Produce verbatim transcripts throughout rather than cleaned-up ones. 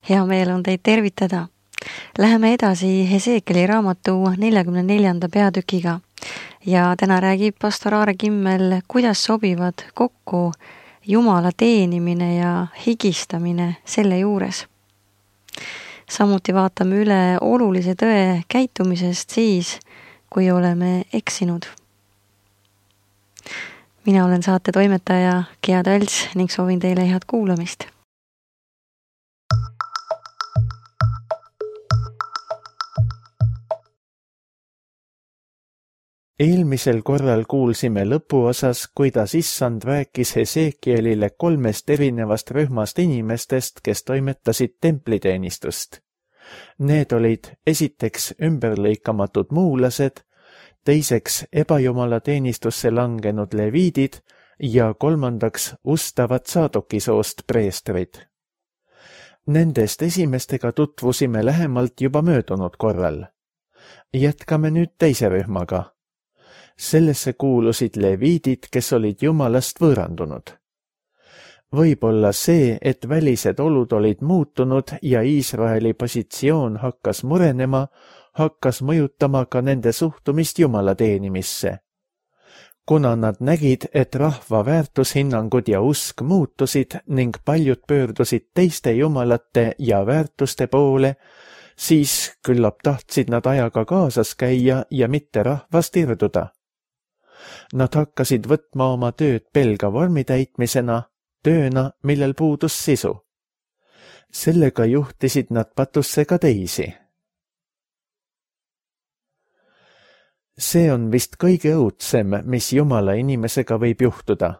Hea meel on teid tervitada. Läheme edasi Heseekeli raamatu neljakümne neljanda peatükiga ja täna räägib pastor Aare Kimmel, kuidas sobivad kokku Jumala teenimine ja higistamine selle juures. Samuti vaatame üle olulise tõe käitumisest siis, kui oleme eksinud. Mina olen saate toimetaja Gea Tals ning soovin teile head kuulamist. Eelmisel korral kuulsime lõpuosas, kuidas issand rääkis Heseekielile kolmest erinevast rühmast inimestest, kes toimetasid templiteenistust. Need olid esiteks ümberlõikamatud muulased, teiseks ebajumala teenistusse langenud leviidid ja kolmandaks ustavad Saadokisoost preestrid. Nendest esimestega tutvusime lähemalt juba möödunud korral. Jätkame nüüd teise rühmaga. Sellesse kuulusid leviidid, kes olid Jumalast võõrandunud. Võib-olla see, et välised olud olid muutunud ja Iisraeli positsioon hakkas murenema, hakkas mõjutama ka nende suhtumist Jumala teenimisse. Kuna nad nägid, et rahva väärtushinnangud ja usk muutusid ning paljud pöördusid teiste jumalate ja väärtuste poole, siis küllap tahtsid nad ajaga kaasas käia ja mitte rahvast irduda. Nad hakkasid võtma oma tööd pelga vormi täitmisena, tööna, millel puudus sisu. Sellega juhtisid nad patusse ka teisi. See on vist kõige õudsem, mis Jumala inimesega võib juhtuda.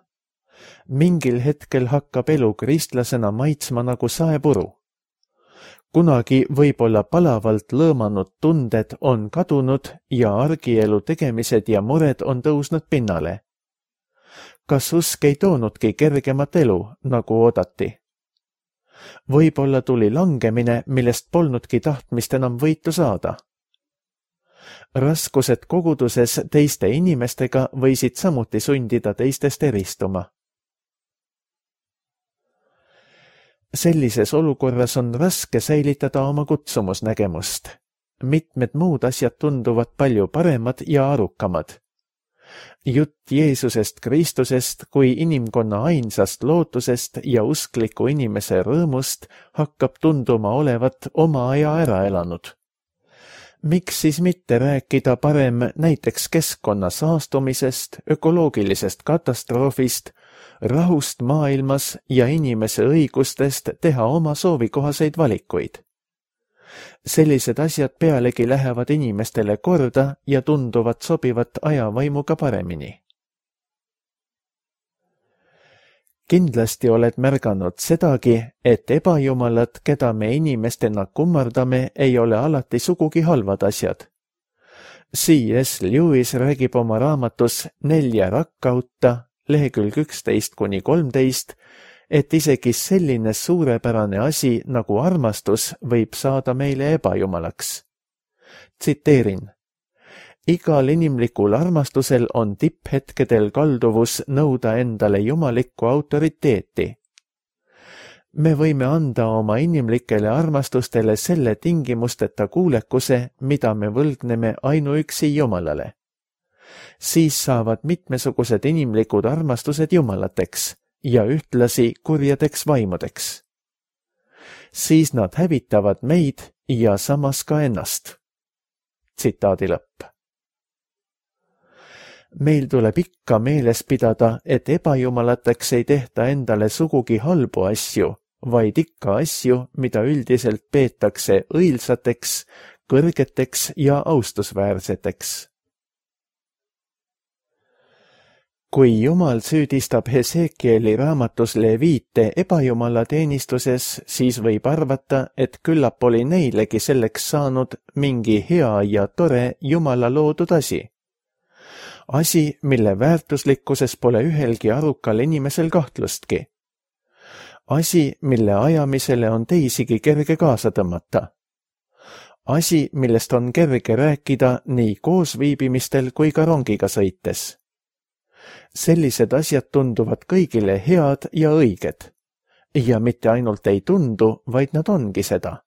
Mingil hetkel hakkab elu kristlasena maitsma nagu saepuru. Kunagi võib-olla palavalt lõõmanud tunded on kadunud ja argielu tegemised ja mured on tõusnud pinnale. Kas usk ei toonudki kergemat elu, nagu oodati? Võib-olla tuli langemine, millest polnudki tahtmist enam võitu saada. Raskused koguduses teiste inimestega võisid samuti sundida teistest eristuma. Sellises olukorras on raske säilitada oma kutsumusnägemust. Mitmed muud asjad tunduvad palju paremad ja arukamad. Jutt Jeesusest Kristusest kui inimkonna ainsast lootusest ja uskliku inimese rõõmust hakkab tunduma olevat oma aja ära elanud. Miks siis mitte rääkida parem näiteks keskkonna saastumisest, ökoloogilisest katastroofist, rahust maailmas ja inimese õigustest teha oma soovikohaseid valikuid? Sellised asjad pealegi lähevad inimestele korda ja tunduvad sobivat ajavaimuga paremini. Kindlasti oled märganud sedagi, et ebajumalad, keda me inimestena kummardame, ei ole alati sugugi halvad asjad. C S Lewis räägib oma raamatus Nelja rakkauta, lehekülg üksteist kuni kolmteist, et isegi selline suurepärane asi nagu armastus võib saada meile ebajumalaks. Tsiteerin. Igal inimlikul armastusel on tipphetkedel kalduvus nõuda endale jumalikku autoriteeti. Me võime anda oma inimlikele armastustele selle tingimusteta kuulekuse, mida me võlgneme ainuüksi Jumalale. Siis saavad mitmesugused inimlikud armastused jumalateks ja ühtlasi kurjadeks vaimudeks. Siis nad hävitavad meid ja samas ka ennast. Tsitaadi lõpp. Meil tuleb ikka meeles pidada, et ebajumalateks ei tehta endale sugugi halbu asju, vaid ikka asju, mida üldiselt peetakse õilsateks, kõrgeteks ja austusväärseteks. Kui Jumal süüdistab Heseekieli raamatus leviite ebajumala teenistuses, siis võib arvata, et küllap oli neilegi selleks saanud mingi hea ja tore Jumala loodud asi. Asi, mille väärtuslikkuses pole ühelgi arukal inimesel kahtlustki. Asi, mille ajamisele on teisigi kerge kaasa tõmmata. Asi, millest on kerge rääkida nii koosviibimistel kui ka rongiga sõites. Sellised asjad tunduvad kõigile head ja õiged. ja mitte ainult ei tundu, vaid nad ongi seda.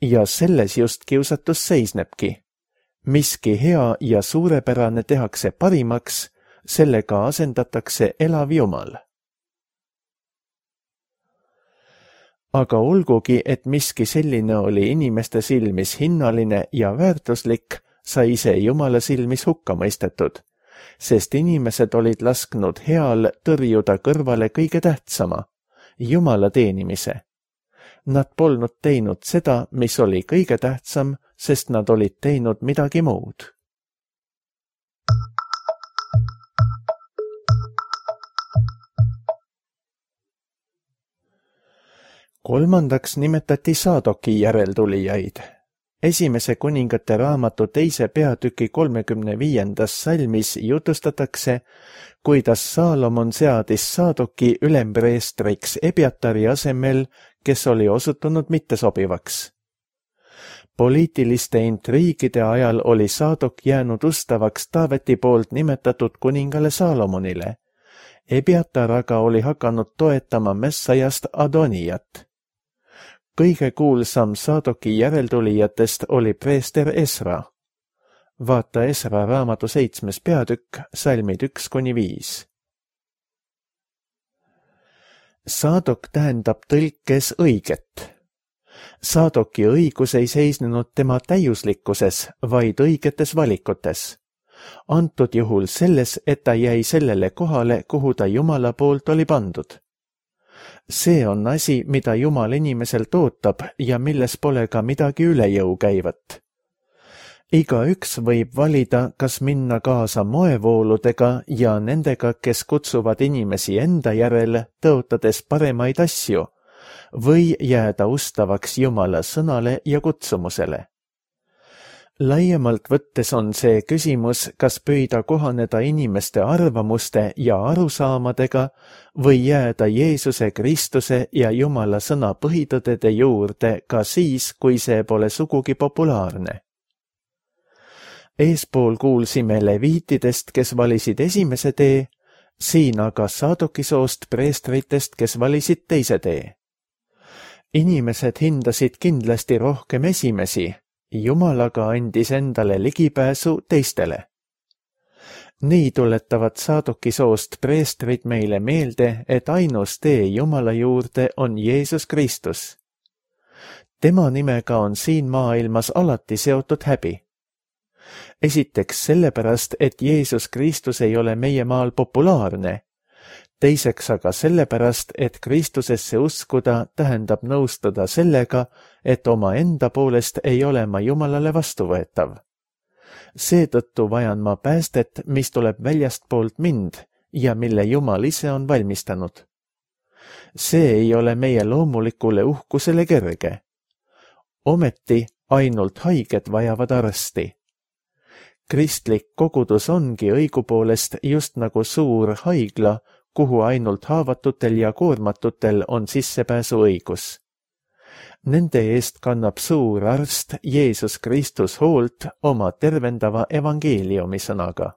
Ja selles just kiusatus seisnebki. Miski hea ja suurepärane tehakse parimaks, sellega asendatakse elav Jumal. Aga olgugi, et miski selline oli inimeste silmis hinnaline ja väärtuslik, sai ise Jumala silmis hukka mõistetud, sest inimesed olid lasknud heal tõrjuda kõrvale kõige tähtsama, Jumala teenimise. Nad polnud teinud seda, mis oli kõige tähtsam, sest nad olid teinud midagi muud. Kolmandaks nimetati Saadoki järeltulijaid. Esimese kuningate raamatu teise peatüki kolmekümne viiendas salmis jutustatakse, kuidas Saalomon seadis Saadoki ülempreestriks Ebiatari asemel, kes oli osutunud mittesobivaks. Poliitiliste intriigide ajal oli Saadok jäänud ustavaks Taaveti poolt nimetatud kuningale Saalomonile. Ebiatar aga oli hakanud toetama Messajast Adonijat. Kõige kuulsam Saadoki järeltulijatest oli preester Esra. Vaata Esra raamatu seitsmes peatükk, salmid üks kuni viis. Saadok tähendab tõlkes õiget. Saadoki õigus ei seisnenud tema täiuslikkuses, vaid õigetes valikutes. Antud juhul selles, et ta jäi sellele kohale, kuhu ta Jumala poolt oli pandud. See on asi, mida Jumal inimeselt ootab ja milles pole ka midagi üle jõu käivat. Igaüks võib valida, kas minna kaasa moevooludega ja nendega, kes kutsuvad inimesi enda järele, tõotades paremaid asju, või jääda ustavaks Jumala sõnale ja kutsumusele. Laiemalt võttes on see küsimus, kas püüda kohaneda inimeste arvamuste ja arusaamadega või jääda Jeesuse Kristuse ja Jumala sõna põhitõdede juurde ka siis, kui see pole sugugi populaarne. Eespool kuulsime leviitidest, kes valisid esimese tee, siin aga Saadoki soost preestritest, kes valisid teise tee. Inimesed hindasid kindlasti rohkem esimesi, Jumal aga andis endale ligipääsu teistele. Nii tuletavad Saadoki soost preestrid meile meelde, et ainus tee Jumala juurde on Jeesus Kristus. Tema nimega on siin maailmas alati seotud häbi. Esiteks sellepärast, et Jeesus Kristus ei ole meie maal populaarne. Teiseks aga sellepärast, et Kristusesse uskuda tähendab nõustuda sellega, et oma enda poolest ei ole ma Jumalale vastuvõetav. Seetõttu vajan ma päästet, mis tuleb väljastpoolt mind ja mille Jumal ise on valmistanud. See ei ole meie loomulikule uhkusele kerge. Ometi ainult haiged vajavad arsti. Kristlik kogudus ongi õigupoolest just nagu suur haigla, kuhu ainult haavatutel ja koormatutel on sissepääsu õigus. Nende eest kannab suur arst Jeesus Kristus hoolt oma tervendava evangeeliumi sõnaga.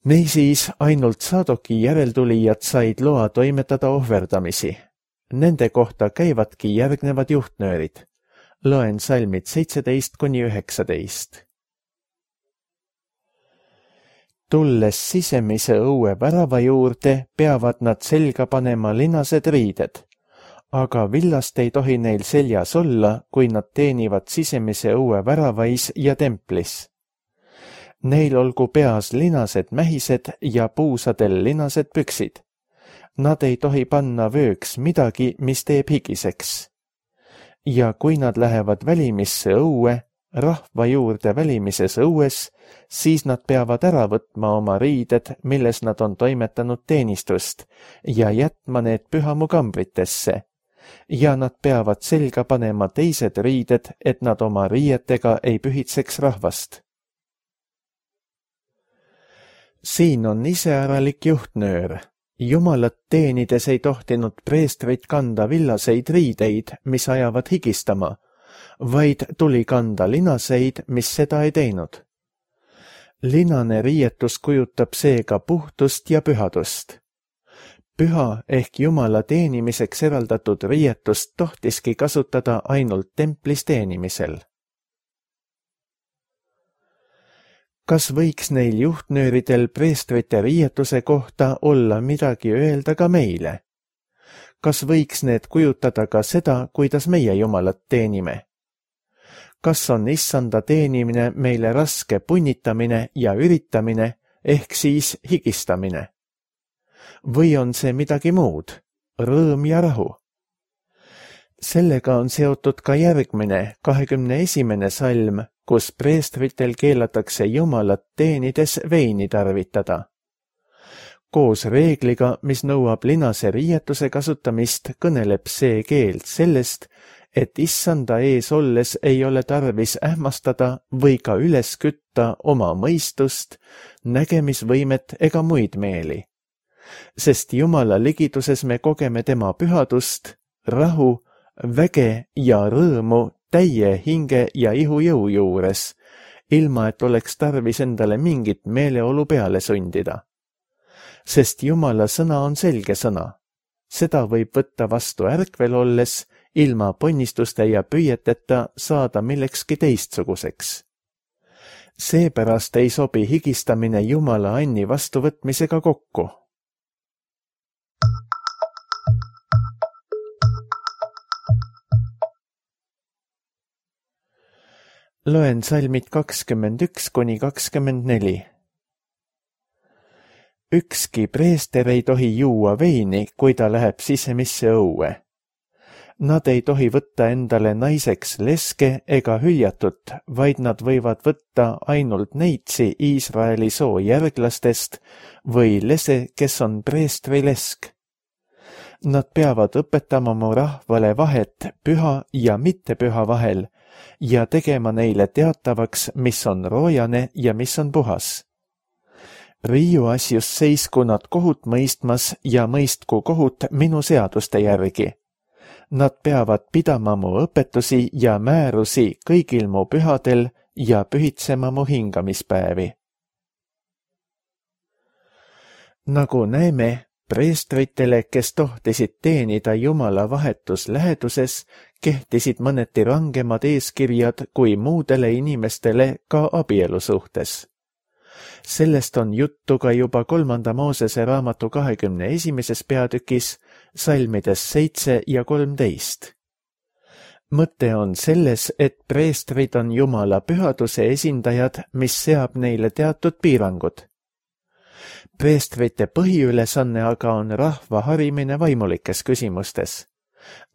Niisiis ainult Saadoki järeltulijad said loa toimetada ohverdamisi. Nende kohta käivadki järgnevad juhtnöörid. Loen salmid seitseteist kuni üheksateist. Tulles sisemise õue värava juurde, peavad nad selga panema linased riided, aga villast ei tohi neil seljas olla, kui nad teenivad sisemise õue väravais ja templis. Neil olgu peas linased mähised ja puusadel linased püksid. Nad ei tohi panna vööks midagi, mis teeb higiseks. Ja kui nad lähevad välimisse õue, rahva juurde välimises õues, siis nad peavad ära võtma oma riided, milles nad on toimetanud teenistust, ja jätma need pühamukambritesse, ja nad peavad selga panema teised riided, et nad oma riietega ei pühitseks rahvast. Siin on iseäralik juhtnöör. Jumalat teenides ei tohtinud preestrid kanda villaseid riideid, mis ajavad higistama, vaid tuli kanda linaseid, mis seda ei teinud. Linane riietus kujutab seega puhtust ja pühadust. Püha ehk Jumala teenimiseks eraldatud riietust tohtiski kasutada ainult templis teenimisel. Kas võiks neil juhtnööridel preestrite riietuse kohta olla midagi öelda ka meile? Kas võiks need kujutada ka seda, kuidas meie Jumalat teenime? Kas on issanda teenimine meile raske punnitamine ja üritamine ehk siis higistamine? Või on see midagi muud, rõõm ja rahu? Sellega on seotud ka järgmine, kahekümne esimene salm, kus preestritel keelatakse Jumalat teenides veini tarvitada. Koos reegliga, mis nõuab linase riietuse kasutamist, kõneleb see keeld sellest, et issanda ees olles ei ole tarvis ähmastada või ka üles kütta oma mõistust, nägemisvõimet ega muid meeli. Sest Jumala ligiduses me kogeme tema pühadust, rahu, väge ja rõõmu täie hinge ja ihujõu juures, ilma et oleks tarvis endale mingit meeleolu peale sundida. Sest Jumala sõna on selge sõna. Seda võib võtta vastu ärkvel olles, ilma ponnistuste ja püüeteta saada millekski teistsuguseks. Seepärast ei sobi higistamine Jumala anni vastuvõtmisega kokku. Loen salmid kakskümmend üks kuni kakskümmend neli. Ükski preester ei tohi juua veini, kui ta läheb sisemisse õue. Nad ei tohi võtta endale naiseks leske ega hüljatut, vaid nad võivad võtta ainult neitsi Iisraeli soo järglastest või lese, kes on preestri lesk. Nad peavad õpetama mu rahvale vahet püha ja mittepüha vahel ja tegema neile teatavaks, mis on roojane ja mis on puhas. Riiu asjus seisku nad kohut mõistmas ja mõistku kohut minu seaduste järgi. Nad peavad pidama mu õpetusi ja määrusi kõigil mu pühadel ja pühitsema mu hingamispäevi. Nagu näeme, preestritele, kes tohtisid teenida Jumala vahetus läheduses, kehtisid mõneti rangemad eeskirjad kui muudele inimestele ka abielu suhtes. Sellest on juttu ka juba kolmanda Moosese raamatu kahekümne esimeses peatükis, salmides seitse ja kolmteist. Mõte on selles, et preestrid on Jumala pühaduse esindajad, mis seab neile teatud piirangud. Preestrite põhiülesanne aga on rahva harimine vaimulikes küsimustes.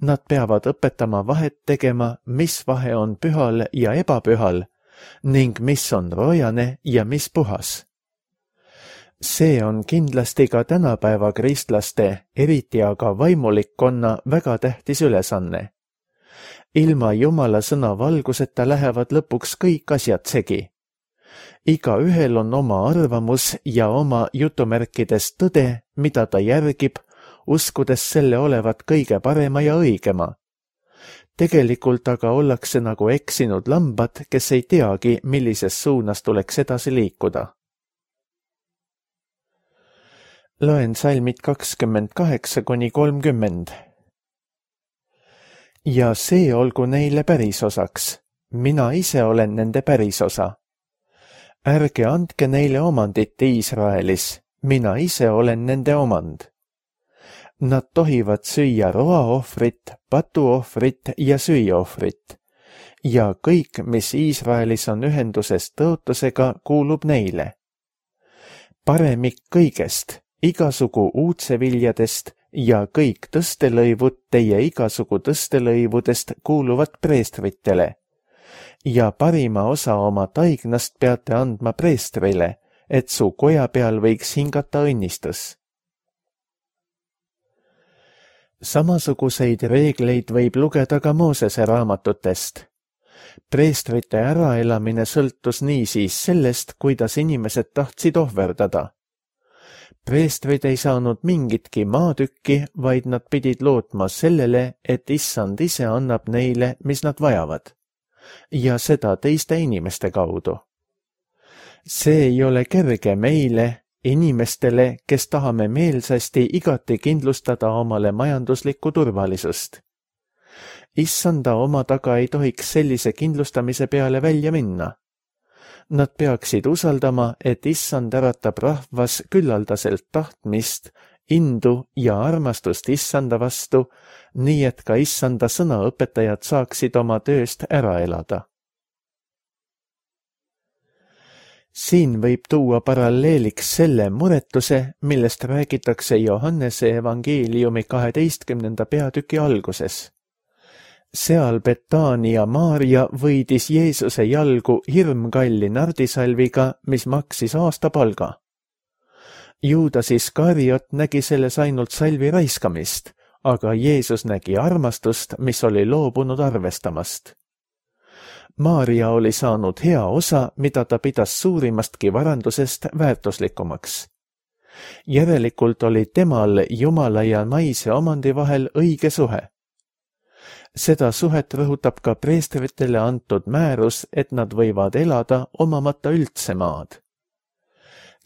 Nad peavad õpetama vahet tegema, mis vahe on pühal ja ebapühal ning mis on roojane ja mis puhas. See on kindlasti ka tänapäeva kristlaste, eriti aga vaimulikkonna väga tähtis ülesanne. Ilma Jumala sõna valguseta lähevad lõpuks kõik asjad segi. Iga ühel on oma arvamus ja oma jutumärkides tõde, mida ta järgib, uskudes selle olevat kõige parema ja õigema. Tegelikult aga ollakse nagu eksinud lambad, kes ei teagi, millises suunas tuleks edasi liikuda. Loen salmid kakskümmend kaheksa kuni kolmkümmend. Ja see olgu neile pärisosaks. Mina ise olen nende pärisosa. Ärge andke neile omandit Iisraelis. Mina ise olen nende omand. Nad tohivad süüa roaohvrit, patuohvrit ja süüaohvrit. Ja kõik, mis Iisraelis on ühenduses tõotusega, kuulub neile. Paremik kõigest, igasugu uudseviljadest ja kõik tõstelõivud teie igasugu tõstelõivudest kuuluvad preestritele. Ja parima osa oma taignast peate andma preestrile, et su koja peal võiks hingata õnnistus. Samasuguseid reegleid võib lugeda ka Moosese raamatutest. Preestrite äraelamine sõltus niisiis sellest, kuidas inimesed tahtsid ohverdada. Preestrid ei saanud mingitki maatükki, vaid nad pidid lootma sellele, et issand ise annab neile, mis nad vajavad. ja seda teiste inimeste kaudu. See ei ole kerge meile, inimestele, kes tahame meelsasti igati kindlustada omale majanduslikku turvalisust. Issanda oma taga ei tohiks sellise kindlustamise peale välja minna. Nad peaksid usaldama, et issand äratab rahvas küllaldaselt tahtmist, indu ja armastust issanda vastu, nii et ka issanda sõnaõpetajad saaksid oma tööst ära elada. Siin võib tuua paralleeliks selle muretuse, millest räägitakse Johannese evangeeliumi kaheteistkümnenda peatüki alguses. Seal Betania Maarja võidis Jeesuse jalgu hirmkalli nardisalviga, mis maksis aastapalga. Juudas Iskariot nägi selles ainult salvi raiskamist, aga Jeesus nägi armastust, mis oli loobunud arvestamast. Maarja oli saanud hea osa, mida ta pidas suurimastki varandusest väärtuslikumaks. Järelikult oli temal Jumala ja naise omandi vahel õige suhe. Seda suhet rõhutab ka preestritele antud määrus, et nad võivad elada omamata üldse maad.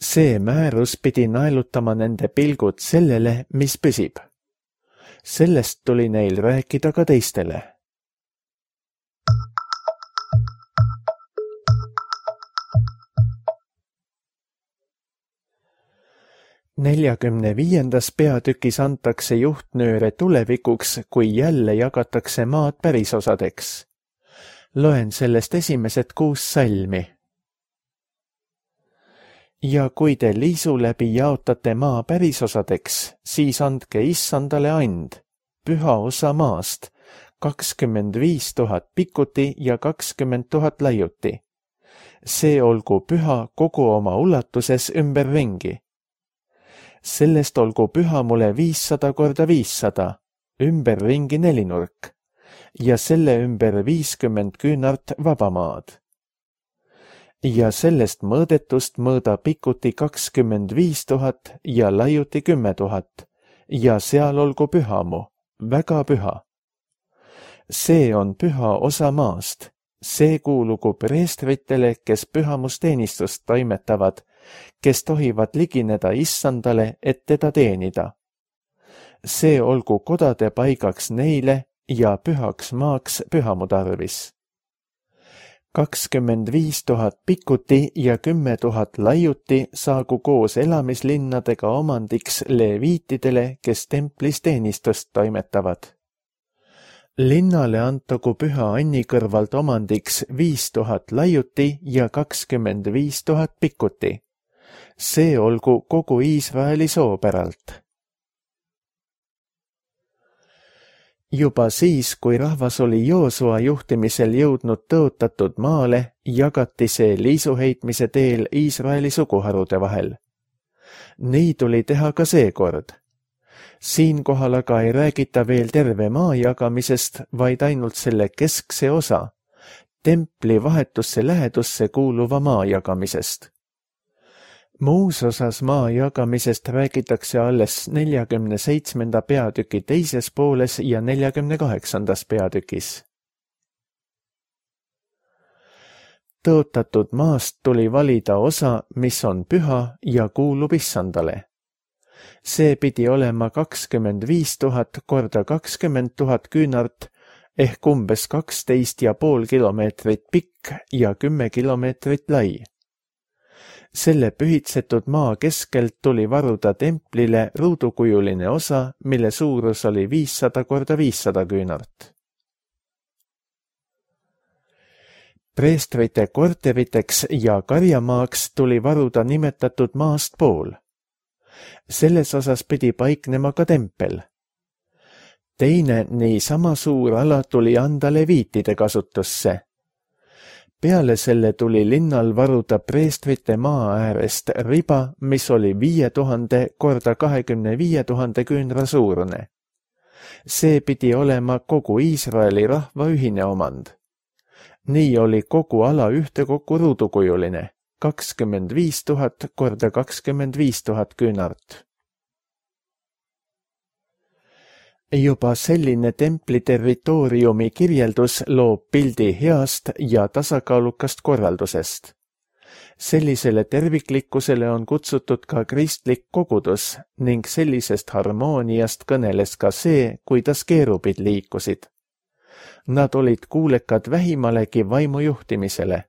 See määrus pidi naelutama nende pilgud sellele, mis püsib. Sellest tuli neil rääkida ka teistele. neljakümne viiendas peatükis antakse juhtnööre tulevikuks, kui jälle jagatakse maad pärisosadeks. Loen sellest esimesed kuus salmi. Ja kui te liisu läbi jaotate maa pärisosadeks, siis andke issandale and, püha osa maast, kakskümmend viis tuhat pikuti ja kakskümmend tuhat laiuti. See olgu püha kogu oma ulatuses ümberringi. Sellest olgu püha mulle viissada korda viissada, ümberringi nelinurk, ja selle ümber viiskümmend küünart vabamaad. Ja sellest mõõdetust mõõda pikuti kakskümmend viis tuhat ja laiuti kümme tuhat, ja seal olgu püha mu, väga püha. See on püha osa maast, see kuulugu preestritele, kes pühamusteenistust toimetavad, kes tohivad ligineda issandale, et teda teenida. See olgu kodade paigaks neile ja pühaks maaks pühamu tarvis. kakskümmend viis tuhat pikuti ja kümme tuhat laiuti saagu koos elamislinnadega omandiks leviitidele, kes templis teenistust toimetavad. Linnale antagu püha Anni kõrvalt omandiks viis tuhat laiuti ja kakskümmend viis tuhat pikuti. See olgu kogu Iisraeli soopäralt. Juba siis, kui rahvas oli Joosua juhtimisel jõudnud tõotatud maale, jagati see liisuheitmise teel Iisraeli suguharude vahel. Nii tuli teha ka seekord. Siinkohal aga ei räägita veel terve maa jagamisest, vaid ainult selle keskse osa, templi vahetusse lähedusse kuuluva maa jagamisest. Muus osas maa jagamisest räägitakse alles neljakümne seitsmenda peatüki teises pooles ja neljakümne kaheksandas peatükis. Tõotatud maast tuli valida osa, mis on püha ja kuulub issandale. See pidi olema kakskümmend viis tuhat korda kakskümmend tuhat küünart ehk umbes kaksteist ja pool kilomeetrit pikk ja kümme kilomeetrit lai. Selle pühitsetud maa keskelt tuli varuda templile ruudukujuline osa, mille suurus oli viissada korda viissada küünart. Preestrite korteriteks ja karjamaaks tuli varuda nimetatud maast pool. Selles osas pidi paiknema ka tempel. Teine niisama suur ala tuli anda leviitide kasutusse. Peale selle tuli linnal varuda preestrite maa äärest riba, mis oli viie tuhande korda kahekümne viie tuhande küünra suurune. See pidi olema kogu Iisraeli rahva ühine omand. Nii oli kogu ala ühtekokku ruudukujuline, kakskümmend viis tuhat korda kakskümmend viis tuhat küünart. juba selline templi territooriumi kirjeldus loob pildi heast ja tasakaalukast korraldusest. Sellisele terviklikkusele on kutsutud ka kristlik kogudus ning sellisest harmooniast kõneles ka see, kuidas keerubid liikusid. Nad olid kuulekad vähimalegi vaimu juhtimisele.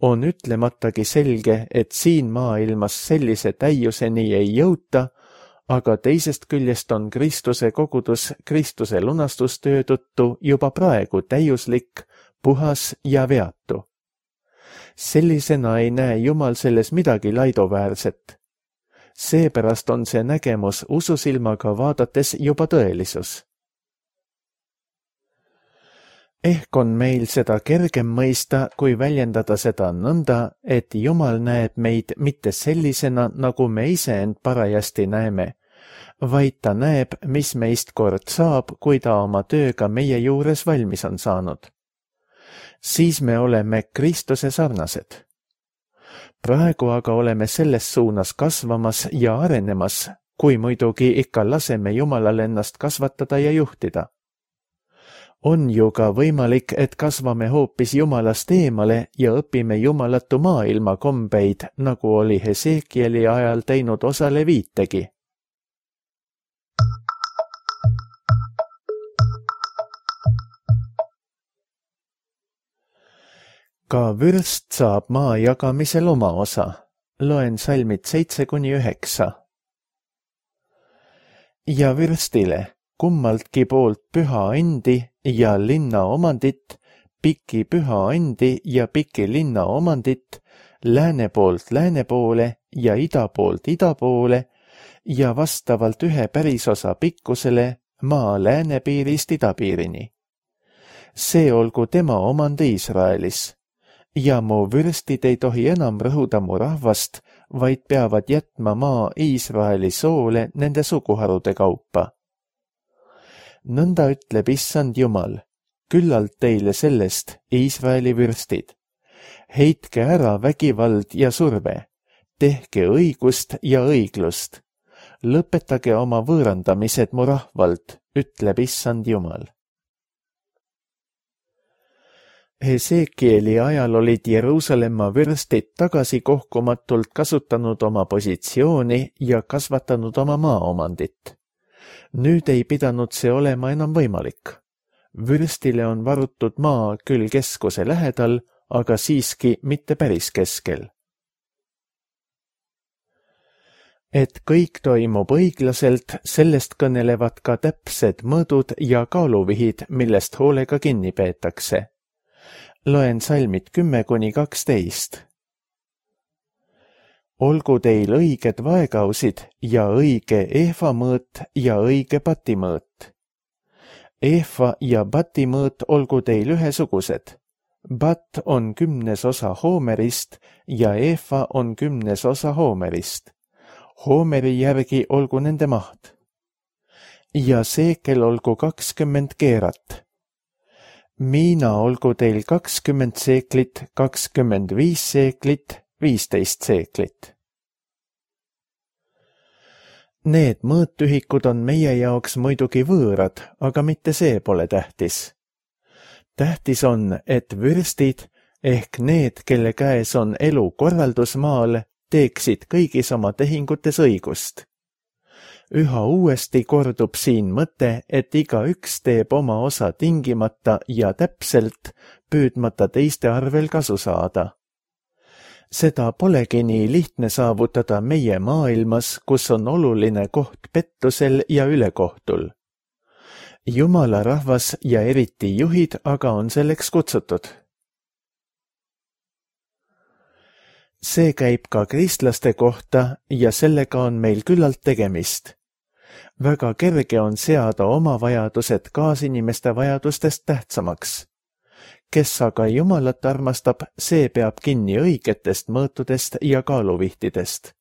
On ütlematagi selge, et siin maailmas sellise täiuseni ei jõuta, aga teisest küljest on Kristuse kogudus Kristuse lunastustöö tõttu juba praegu täiuslik, puhas ja veatu. Sellisena ei näe Jumal selles midagi laidoväärset. Seepärast on see nägemus ususilmaga vaadates juba tõelisus. Ehk on meil seda kergem mõista, kui väljendada seda nõnda, et Jumal näeb meid mitte sellisena, nagu me ise end parajasti näeme, vaid ta näeb, mis meist kord saab, kui ta oma tööga meie juures valmis on saanud. Siis me oleme Kristuse sarnased. Praegu aga oleme selles suunas kasvamas ja arenemas, kui muidugi ikka laseme Jumalal ennast kasvatada ja juhtida. On ju ka võimalik, et kasvame hoopis Jumalast eemale ja õpime jumalatu maailma kombeid, nagu oli Hesekieli ajal teinud osa leviitegi. Ka vürst saab maa jagamisel oma osa. Loen salmid seitse kuni üheksa. Ja vürstile kummaltki poolt püha endi ja linna omandit, piki püha endi ja piki linna omandit, lääne poolt lääne poole ja ida poolt ida poole ja vastavalt ühe pärisosa pikkusele maa läänepiirist idapiirini. See olgu tema omand Iisraelis. Ja mu vürstid ei tohi enam rõhuda mu rahvast, vaid peavad jätma maa Iisraeli soole nende suguharude kaupa. Nõnda ütleb issand Jumal, küllalt teile sellest, Iisraeli vürstid. Heitke ära vägivald ja surve, tehke õigust ja õiglust. Lõpetage oma võõrandamised mu rahvalt, ütleb issand Jumal. Hesekieli ajal olid Jeruusalemma vürstid tagasi kohkumatult kasutanud oma positsiooni ja kasvatanud oma maaomandit. Nüüd ei pidanud see olema enam võimalik. Vürstile on varutud maa küll keskuse lähedal, aga siiski mitte päris keskel. Et kõik toimub õiglaselt, sellest kõnelevad ka täpsed mõõdud ja kaaluvihid, millest hoolega kinni peetakse. Loen salmid kümme kuni kaksteist. Olgu teil õiged vaegausid ja õige eefamõõt ja õige batimõõt. Eefa ja batimõõt olgu teil ühesugused. Bat on kümnes osa hoomerist ja eefa on kümnes osa hoomerist. Hoomeri järgi olgu nende maht. Ja seekel olgu kakskümmend keerat. Miina olgu teil kakskümmend seeklit, kakskümmend viis seeklit, viisteist seeklit. Need mõõtühikud on meie jaoks muidugi võõrad, aga mitte see pole tähtis. Tähtis on, et vürstid ehk need, kelle käes on elu korraldusmaal, teeksid kõigis oma tehingutes õigust. Üha uuesti kordub siin mõte, et igaüks teeb oma osa tingimata ja täpselt, püüdmata teiste arvel kasu saada. Seda polegi nii lihtne saavutada meie maailmas, kus on oluline koht pettusel ja ülekohtul. Jumala rahvas ja eriti juhid aga on selleks kutsutud. See käib ka kristlaste kohta ja sellega on meil küllalt tegemist. Väga kerge on seada oma vajadused kaasinimeste vajadustest tähtsamaks. Kes aga Jumalat armastab, see peab kinni õigetest mõõtudest ja kaaluvihtidest.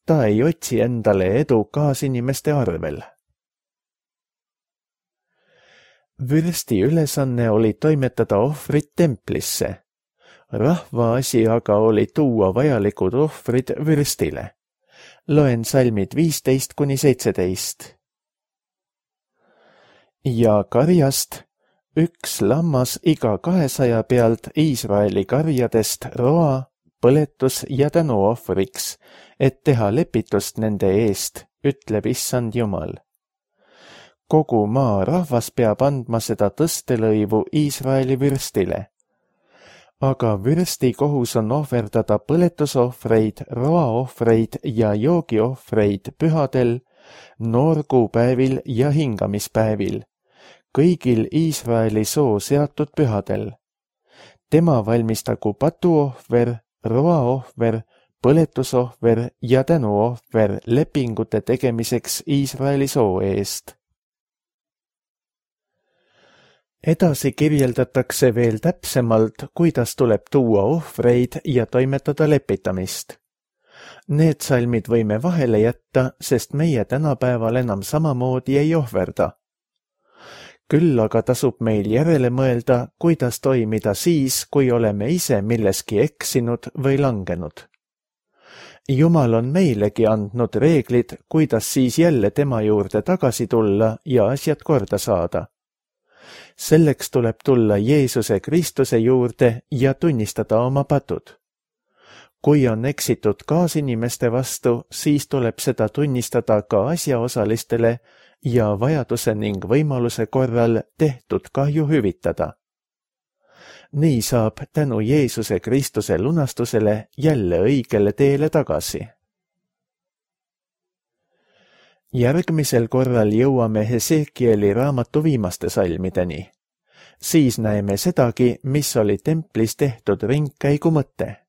Ta ei otsi endale edu kaasinimeste arvel. Vürsti ülesanne oli toimetada ohvrid templisse. Rahva asi aga oli tuua vajalikud ohvrid vürstile. Loen salmid viisteist kuni seitseteist. ja karjast üks lammas iga kahesaja pealt Iisraeli karjadest roa, põletus ja tänuohvriks, et teha lepitust nende eest, ütleb issand Jumal. Kogu maa rahvas peab andma seda tõstelõivu Iisraeli vürstile. Aga vürsti kohus on ohverdada põletusohvreid, roaohvreid ja joogiohvreid pühadel, noorkuupäevil ja hingamispäevil, kõigil Iisraeli soo seatud pühadel. Tema valmistagu patuohver, roaohver, põletusohver ja tänuohver lepingute tegemiseks Iisraeli soo eest. Edasi kirjeldatakse veel täpsemalt, kuidas tuleb tuua ohvreid ja toimetada lepitamist. Need salmid võime vahele jätta, sest meie tänapäeval enam samamoodi ei ohverda. Küll aga tasub meil järele mõelda, kuidas toimida siis, kui oleme ise milleski eksinud või langenud. Jumal on meilegi andnud reeglid, kuidas siis jälle tema juurde tagasi tulla ja asjad korda saada. Selleks tuleb tulla Jeesuse Kristuse juurde ja tunnistada oma patud. Kui on eksitud kaasinimeste vastu, siis tuleb seda tunnistada ka asjaosalistele ja vajaduse ning võimaluse korral tehtud kahju hüvitada. Nii saab tänu Jeesuse Kristuse lunastusele jälle õigele teele tagasi. Järgmisel korral jõuame Hesekieli raamatu viimaste salmideni. Siis näeme sedagi, mis oli templis tehtud ringkäigu mõte.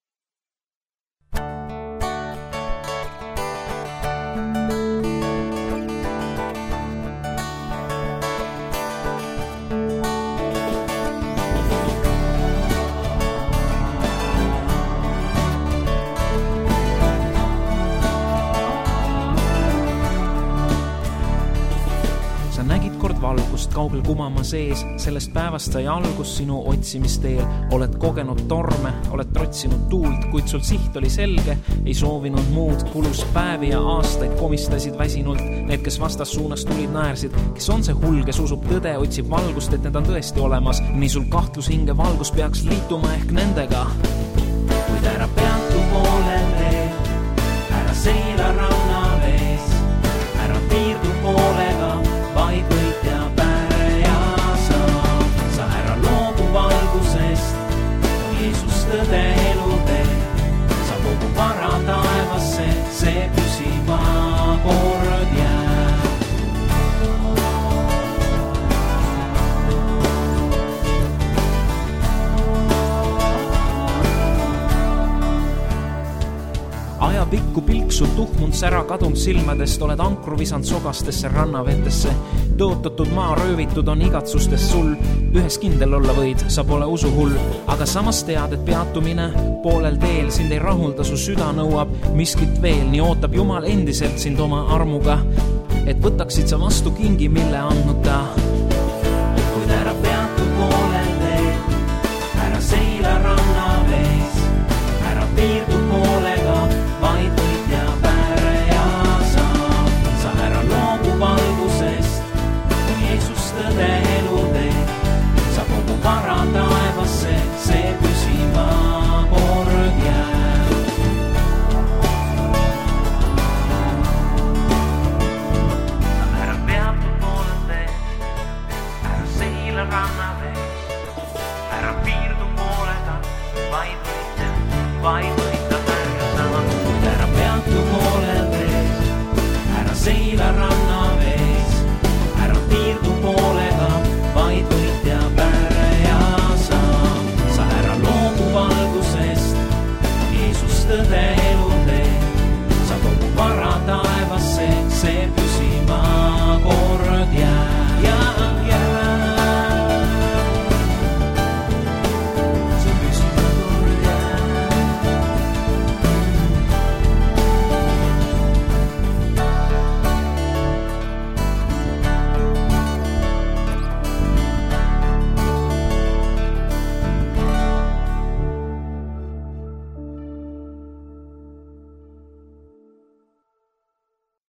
Valgust kaugel kumama sees, sellest päevast sai algus sinu otsimisteel. Oled kogenud torme, oled trotsinud tuult, kuid sul siht oli selge, ei soovinud muud. Kulus päevi ja aastaid, komistasid väsinult. Need, kes vastas suunas tulid, naersid. Kes on see hull, kes usub tõde, otsib valgust, et need on tõesti olemas. Nii sul kahtlus hinge valgus peaks liituma ehk nendega. Kuid ära peatu poolel veel, ära seila ranna vees, ära piirdu poolega, vaid võitja päre ja sa. Sa ära loobu valgusest, kui Jeesus tõde elu teeb. Sa kogu vara taevasse, see püsima kord jääb. Ajapikku pilksul tuhmund sära kadunud silmadest, oled ankru visand sogastesse rannavetesse. Tõotatud maa röövitud on igatsustest sul, ühes kindel olla võid, sa pole usuhull. Aga samas tead, et peatumine poolel teel sind ei rahulda, su süda nõuab miskit veel. Nii ootab Jumal endiselt sind oma armuga, et võtaksid sa vastu kingi, mille andnud ta. Kuid ära peatu poolel teel, ära seila ranna vees, ära piirdu poolega, vaid võitja päre ja sa. Sa ära loobu valgusest, kui Jeesus tõde elu teeb. Sa kogu vara taevasse, see püsima kord jääb. Sa ära peatu poolel teel, ära seila ranna vees, ära piirdu poolega, vaid võitja, vaid võitja päre ja sa. Ära seila ranna